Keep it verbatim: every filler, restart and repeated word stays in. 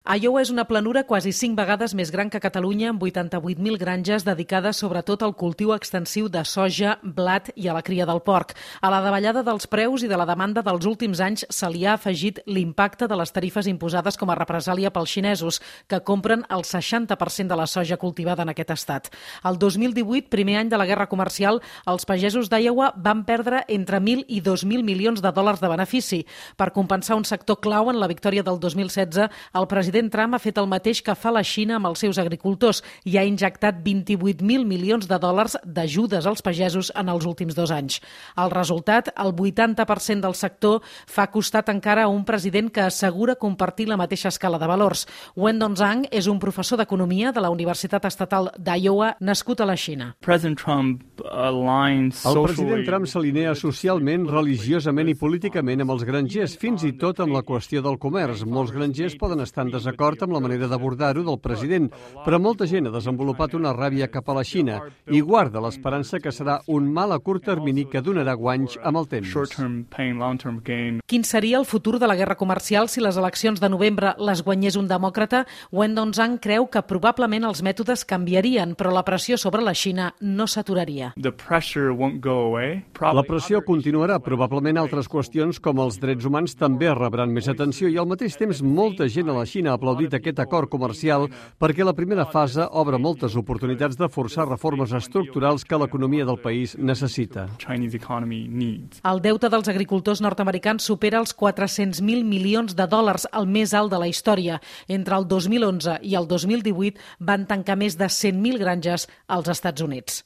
Iowa és una planura quasi cinc vegades més gran que Catalunya, amb vuitanta-vuit mil granges dedicades sobretot al cultiu extensiu de soja, blat i a la cria del porc. A la davallada dels preus i de la demanda dels últims anys se li ha afegit l'impacte de les tarifes imposades com a represàlia pels xinesos, que compren el seixanta per cent de la soja cultivada en aquest estat. El dos mil divuit, primer any de la guerra comercial, els pagesos d'Iowa van perdre entre mil i dos mil milions de dòlars de benefici. Per compensar un sector clau en la victòria del dos mil setze, el president Trump ha fet el mateix que fa la Xina amb els seus agricultors i ha injectat vint-i-vuit mil milions de dòlars d'ajudes als pagesos en els últims dos anys. El resultat, el vuitanta per cent del sector, fa costat encara a un president que assegura compartir la mateixa escala de valors. Wendon Zhang és un professor d'economia de la Universitat Estatal d'Iowa, nascut a la Xina. President Trump aligns El president Trump s'alinea socialment, religiosament i políticament amb els grangers, fins i tot amb la qüestió del comerç. Molts grangers poden estar en desacord amb la manera d'abordar-ho del president, però molta gent ha desenvolupat una ràbia cap a la Xina i guarda l'esperança que serà un mal a curt termini que donarà guanys amb el temps. Quin seria el futur de la guerra comercial si les eleccions de novembre les guanyés un demòcrata? Wendon Zhang creu que probablement els mètodes canviarien, però la pressió sobre la Xina no s'aturaria. La pressió continuarà. Probablement altres qüestions com els drets humans també rebran més atenció i al mateix temps molta gent a la Xina ha aplaudit aquest acord comercial perquè la primera fase obre moltes oportunitats de forçar reformes estructurals que l'economia del país necessita. El deute dels agricultors nord-americans supera els quatre-cents mil milions de dòlars, el més alt de la història. Entre el dos mil onze i el dos mil divuit van tancar més de cent mil granges als Estats Units.